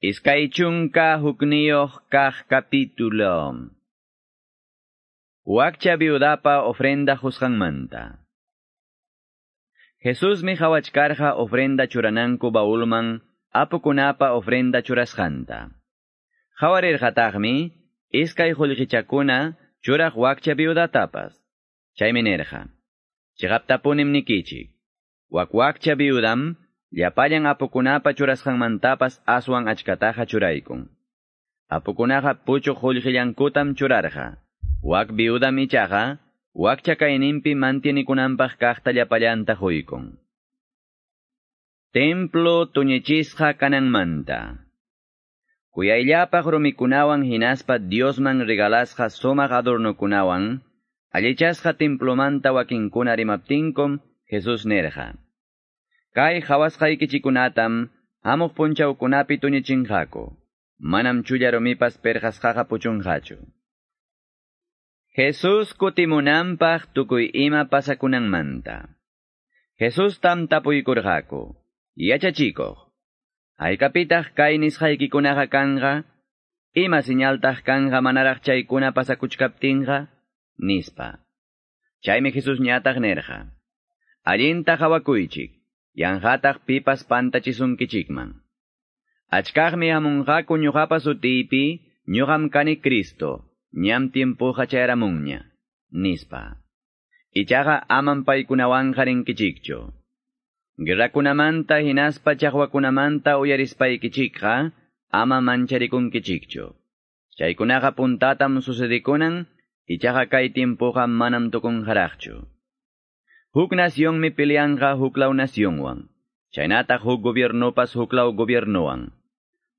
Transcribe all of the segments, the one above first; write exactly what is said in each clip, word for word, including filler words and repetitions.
Iskay chunka hukniyuq kaq capítulo. Wakcha viudapa ofrenda qusqanmanta. Jesusmi qawachkarqa ofrenda churananku baulman apukunapa ofrenda churasqanta. Qawarirqataqmi iskay qullqichakuna churaq wakcha viudatapas. Chaymi nirqa: Chiqaptapunim nikichik. Wak wakcha viudam llapallan apukunapa churasqanmantapas aswan achkataqa churaykun. Apukunaqa puchuq qullqillankutam churarqa. Wak viudam ichaqa wakcha kayninpi mantienikunanpaq kaqta llapallanta quykun. Templo tuñichisqa kananmanta. Kuyayllapaq rumikunawan hinaspa Diosman regalasqa sumaq adornokunawan, allichasqa templomanta wakinkuna rimaptinkum Jesús nirqa: Kay qawasqaykichikkunatam hamuq punchawkunapi tuñichinqaku. Manam chulla rumipas perqasqaqa puchunqachu. Jesús kutimunanpaq tukuy ima pasakunanmanta. Jesustam tapuykurqaku: Yachachikuq, haykapitaq kay nisqaykikunaqa kanqa? Ima señaltaq kanqa manaraq chaykuna pasakuchkaptinqa? Nispa. Chaymi Jesús ñataq nirqa: Allinta qawakuychik, yanqataq pipas pantachisunkichikman. Achkaqmi hamunqaku ñuqapa sutiypi, ñuqam kani Cristo, ñam tiempoqa chayaramunña, nispa. Ichaqa amam paykunawanqa rinkichikchu. Guerrakunamanta hinaspa chaqwakunamanta uyarispaykichikqa ama mancharikunkichikchu. Chaykunaqa puntatam sucedikunan, ichaqa kay tiempoqa manam tukunqaraqchu. Huk nacionmi peleanqa huklaw nacionwan, chaynataq huk gobiernopas huklaw gobiernowan.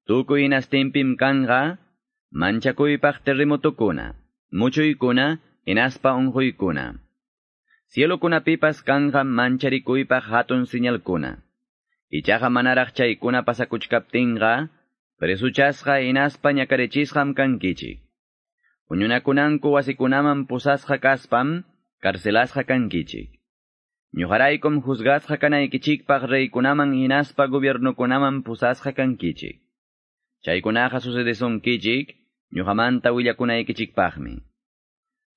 Tukuy hinastinpim kanqa manchakuypaq terremotokuna, muchuykuna, hinaspa unquykuna. Cielokunapipas kanqa mancharikuypaq hatun señalkuna. Ichaqa manaraq chaykuna pasakuchkaptinqa, presuchasqa hinaspa ñakarichisqam kankichik. Huñunakunanku wasikunaman pusasqa kaspam, carcelasqa kankichik. Ñuqaraykum juzgasqa kanaykichikpaq reykunaman hinaspa gobiernokunaman pusasqa kankichik. Chaykunaqa sucedesunkichik, ñuqamanta willakunaykichikpaqmi.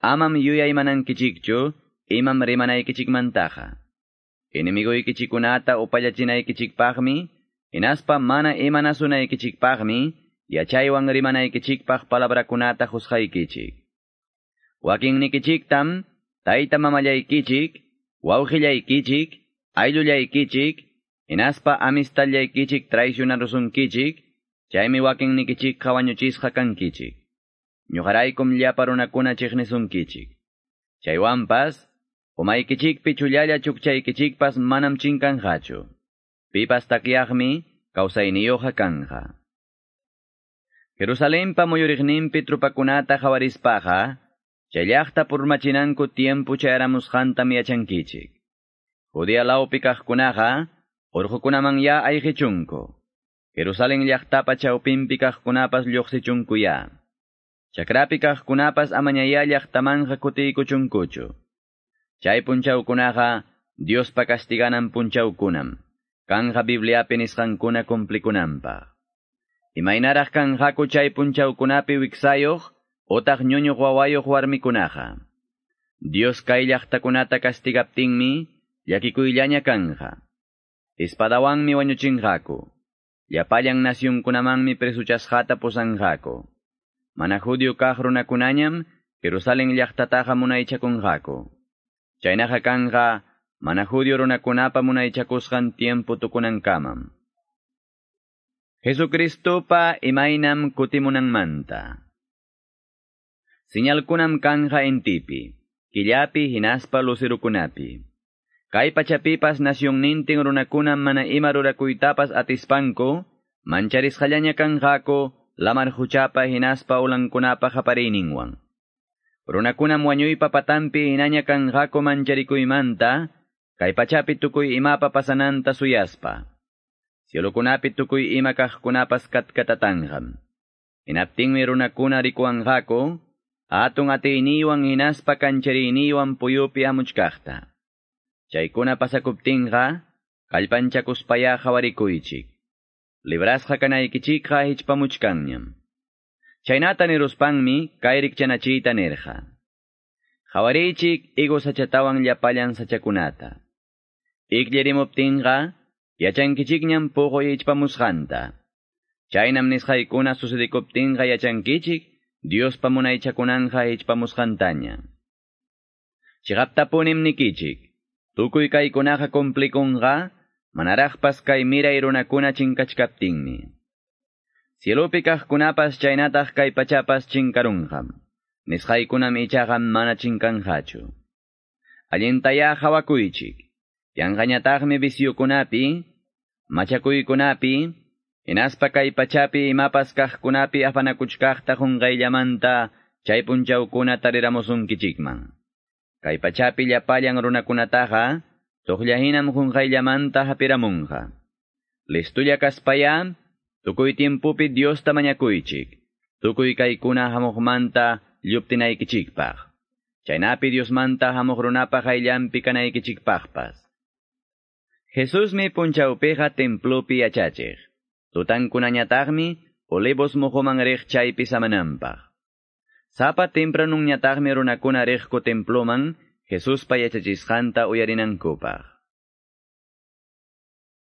Amam yuyaymanankichikchu, imam rimanaykichikmantaqa. Enemiguykichikkunata upallachinaykichikpaqmi, hinaspa mana imanasunaykichikpaqmi, yachaywan rimanaykichikpaq palabrakunata qusqaykichik. Wakinnikichiktam, tayta mamallaykichik, wawqillaykichik, ayllullaykichik, hinaspa amistallaykichik traicionarusunkichik, chaymi wakinnikichikqa wañuchisqa kankichik. Ñuqaraykum llapa runakuna chiqnisunkichik. Chaywanpas, umaykichikpi chullalla chukchaykichikpas manam chinkanqachu. Pipas takyaqmi kawsayniyuqqa kanqa. Jerusalenpa muyuriqninpi trupakunata qawarispaqa, chay llaqta purmachinanku tiempo chayaramusqantam yachankichik. Judea lawpi kaqkunaqa urqukunaman ya ayqichunku. Jerusalén llaqtapa chawpinpi kaqkunapas lluqsichunku ya. Chakrapi kaqkunapas amañaya llaqtamanqa kutiykuchunkuchu. Chay punchawkunaqa Diospa castiganan punchawkunam, kanqa Bibliapi nisqankuna cumplikunanpaq. Imaynaraq kanqaku chay punchawkunapi wiksayuq otaq ñuñuq wawayuq warmikunaqa. Dios kay llaqtakunata castigaptinmi llakikuyllaña kanqa. Espadawanmi wañuchinqaku. Llapallan nacionkunamanmi presuchasqata pusanqaku. Mana judío kaq runakunañam Jerusalén llaqtataqa munaychakunqaku. Chaynaqa kanqa mana judío runakunapa munaychakusqan tiempo tukunankamam. Jesucristopa imaynam kutimunanmanta. Señalkunam kanqa intipi, killapi hinaspa lucerukunapi. Kay pachapipas nacionnintin runakunam mana ima rurakuytapas atispanku, mancharisqallaña kanqaku lamar huchapa hinaspa ulankunapa qapariyninwan. Runakunam wañuypa patanpi hinaña kanqaku mancharikuymanta, kay pachapi tukuy imapa pasananta suyaspa. Cielokunapi tukuy ima kaqkunapas katkatatanqam. Hinaptinmi runakuna rikuwanqaku, hatun atiyniywan hinaspa kanchariyniwan puyupi hamuchkaqta. Chaykuna pasakuptinqa, kallpanchakuspaya qawarikuychik. Librasqa kanaykichikqa hichpamuchkanñam. Chaynata niruspanmi kay rikchanachiyta nirqa. Qawariychik higo sachatawan llapallan sachakunata. Ikllarimuptinqa yachankichikñam puquy hichpamusqanta. Chaynam nisqaykuna sucedikuptinqa yachankichik Diospa munaychakunanqa hichpamusqantaña. Chiqaptapunim nikichik, tukuy kaykunaqa cumplikunqa, manaraqpas kay miray runakuna chinkachkaptinmi. Cielopi kaqkunapas chaynataq kay pachapas chinkarunqam. Nisqaykunam ichaqa mana chinkanqachu. Allintayá qhawakuychik. Yanqañataqmi visyukunapi, machakuykunapi, hinaspa kay pachapi imapas kaqkunapi afanakuchkaqta qunqayllamanta chay punchawkuna tariramusunkichikman. Kay pachapi llapallan runakunataqa tuqllahinam qunqayllamanta hapiramunqa. Listulla kaspaya, tukuy tiempupi Diosta mañakuychik, tukuy kaykuna hamuqmanta lluptinaykichikpaq. Chaynapi Diosmanta hamuq runapa qayllanpi kanaykichikpaqpas. Jesusmi punchawpiqa templopi yachachiq. Tutankunañataqmi Olivos muhuman riq chaypi samananpaq. Sapa tempranunñataqmi runakuna riqku temploman Jesuspa yachachisqanta uyarinankupaq.